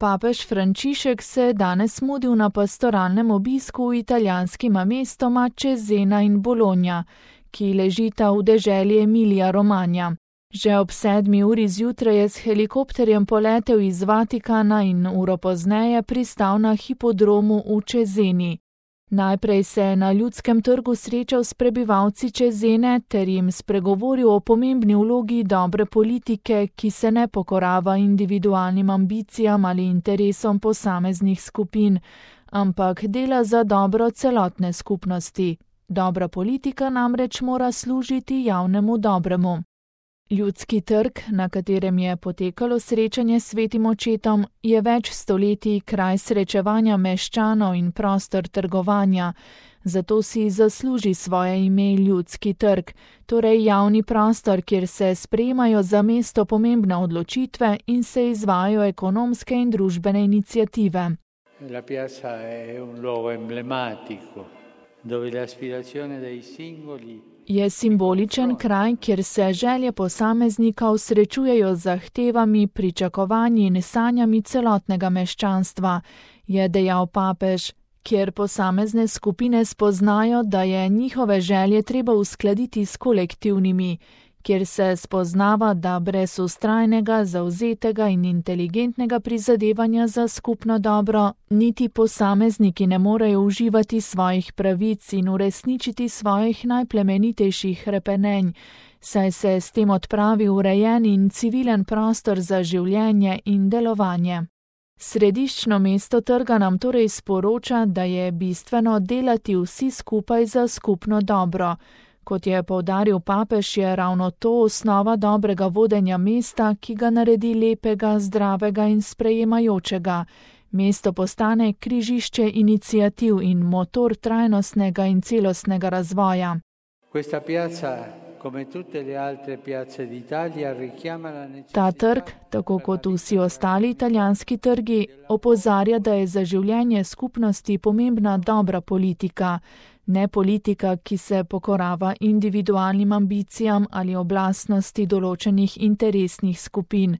Papež Frančišek se je danes mudil na pastoralnem obisku v italijanskima mestoma Cesena in Bologna, ki ležita v deželi Emilija Romagna. Že ob 7. uri zjutraj je s helikopterjem poletel iz Vatikana in uro pozneje pristal na hipodromu v Ceseni. Najprej se je na Ljudskem trgu srečal s prebivalci Cesene ter jim spregovoril o pomembni vlogi dobre politike, ki se ne pokorava individualnim ambicijam ali interesom posameznih skupin, ampak dela za dobro celotne skupnosti. Dobra politika namreč mora služiti javnemu dobremu. Ljudski trg, na katerem je potekalo srečanje s svetim očetom, je več stoletij kraj srečevanja meščanov in prostor trgovanja, zato si zasluži svoje ime Ljudski trg, torej javni prostor, kjer se sprejemajo za mesto pomembne odločitve in se izvajajo ekonomske in družbene iniciative. La piazza è un luogo emblematico, dove le aspirazioni dei singoli Je simboličen kraj, kjer se želje posameznikov srečujejo z zahtevami, pričakovanji in sanjami celotnega meščanstva, je dejal papež, kjer posamezne skupine spoznajo, da je njihove želje treba uskladiti s kolektivnimi, kjer se spoznava, da brez vztrajnega, zavzetega in inteligentnega prizadevanja za skupno dobro, niti posamezniki ne morejo uživati svojih pravic in uresničiti svojih najplemenitejših hrepenenj, saj se s tem odpravi urejen in civilen prostor za življenje in delovanje. Središčno mesto trga nam torej sporoča, da je bistveno delati vsi skupaj za skupno dobro. Kot je poudaril papež, je ravno to osnova dobrega vodenja mesta, ki ga naredi lepega, zdravega in sprejemajočega. Mesto postane križišče iniciativ in motor trajnostnega in celostnega razvoja. Ta trg, tako kot vsi ostali italijanski trgi, opozarja, da je za življenje skupnosti pomembna dobra politika, ne politika, ki se pokorava individualnim ambicijam ali oblastnosti določenih interesnih skupin.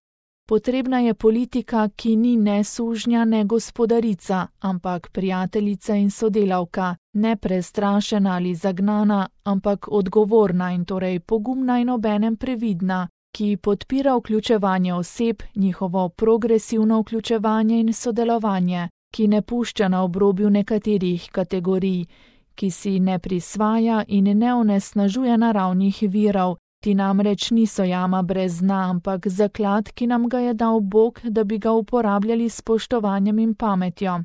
Potrebna je politika, ki ni ne sužnja, ne gospodarica, ampak prijateljica in sodelavka, ne prestrašena ali zagnana, ampak odgovorna in torej pogumna in obenem previdna, ki podpira vključevanje oseb, njihovo progresivno vključevanje in sodelovanje, ki ne pušča na obrobju nekaterih kategorij, ki si ne prisvaja in ne onesnažuje naravnih virov. Ti namreč niso jama brez dna, ampak zaklad, ki nam ga je dal Bog, da bi ga uporabljali s spoštovanjem in pametjo.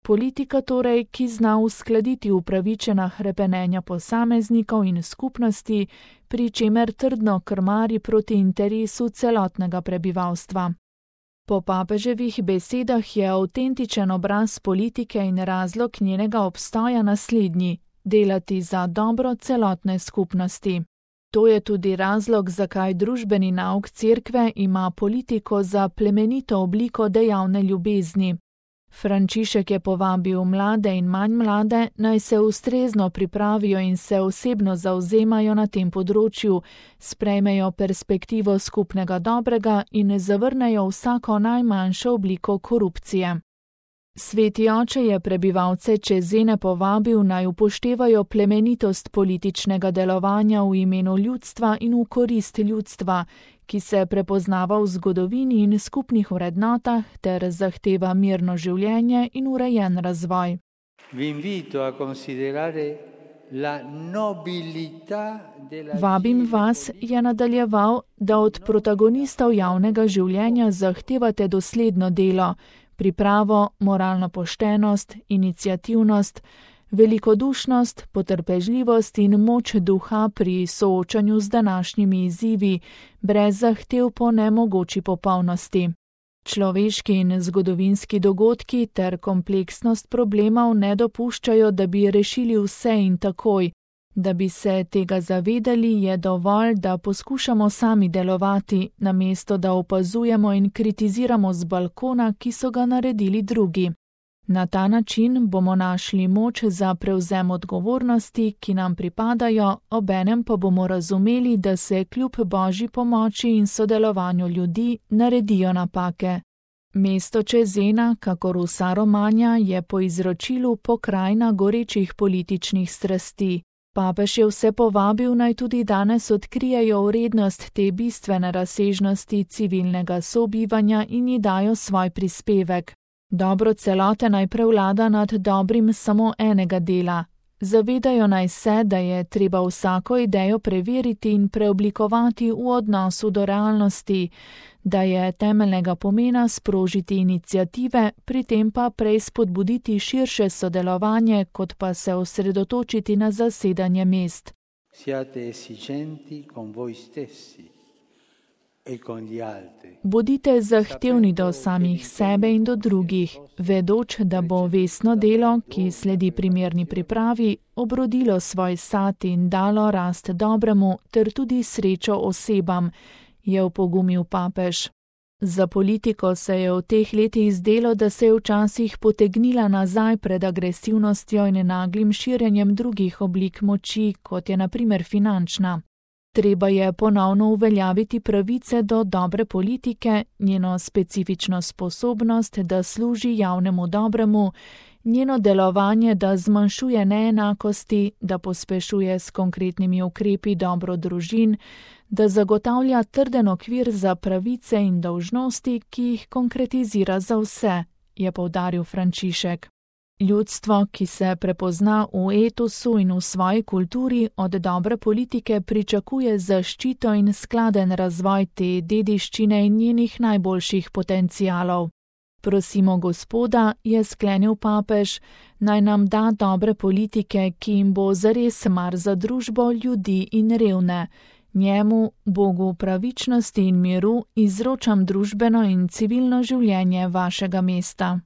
Politika torej, ki zna uskladiti upravičena hrepenenja posameznikov in skupnosti, pri čemer trdno krmari proti interesu celotnega prebivalstva. Po papeževih besedah je avtentičen obraz politike in razlog njenega obstoja naslednji: delati za dobro celotne skupnosti. To je tudi razlog, zakaj družbeni nauk cerkve ima politiko za plemenito obliko dejavne ljubezni. Frančišek je povabil mlade in manj mlade, naj se ustrezno pripravijo in se osebno zavzemajo na tem področju, sprejmejo perspektivo skupnega dobrega in zavrnejo vsako najmanjšo obliko korupcije. Sveti oče je prebivalce Cesene povabil, naj upoštevajo plemenitost političnega delovanja v imenu ljudstva in v korist ljudstva, ki se prepoznava v zgodovini in skupnih vrednotah ter zahteva mirno življenje in urejen razvoj. Vabim vas, je nadaljeval, da od protagonistov javnega življenja zahtevate dosledno delo, pripravo, moralno poštenost, iniciativnost, velikodušnost, potrpežljivost in moč duha pri soočanju z današnjimi izzivi, brez zahtev po nemogoči popolnosti. Človeški in zgodovinski dogodki ter kompleksnost problemov ne dopuščajo, da bi rešili vse in takoj. Da bi se tega zavedali, je dovolj, da poskušamo sami delovati, namesto da opazujemo in kritiziramo z balkona, ki so ga naredili drugi. Na ta način bomo našli moč za prevzem odgovornosti, ki nam pripadajo, obenem pa bomo razumeli, da se kljub Božji pomoči in sodelovanju ljudi naredijo napake. Mesto Cesena, kakor vsa Romagna, je po izročilu pokrajina gorečih političnih strasti. Papež je vse povabil, naj tudi danes odkrijejo vrednost te bistvene razsežnosti civilnega sobivanja in ji dajo svoj prispevek. Dobro celote naj prevlada nad dobrim samo enega dela. Zavedajo naj se, da je treba vsako idejo preveriti in preoblikovati v odnosu do realnosti, da je temeljnega pomena sprožiti iniciative, pri tem pa prej spodbuditi širše sodelovanje, kot pa se osredotočiti na zasedanje mest. Bodite zahtevni do samih sebe in do drugih, vedoč, da bo vestno delo, ki sledi primerni pripravi, obrodilo svoj sad in dalo rast dobremu ter tudi srečo osebam, je opogumil papež. Za politiko se je v teh letih zdelo, da se je včasih potegnila nazaj pred agresivnostjo in naglim širjenjem drugih oblik moči, kot je na primer finančna. Treba je ponovno uveljaviti pravice do dobre politike, njeno specifično sposobnost, da služi javnemu dobremu, njeno delovanje, da zmanjšuje neenakosti, da pospešuje s konkretnimi ukrepi dobro družin, da zagotavlja trden okvir za pravice in dolžnosti, ki jih konkretizira za vse, je poudaril Frančišek. Ljudstvo, ki se prepozna v etosu in v svoji kulturi, od dobre politike pričakuje zaščito in skladen razvoj te dediščine in njenih najboljših potencialov. Prosimo Gospoda, je sklenil papež, naj nam da dobre politike, ki jim bo zares mar za družbo, ljudi in revne. Njemu, Bogu pravičnosti in miru, izročam družbeno in civilno življenje vašega mesta.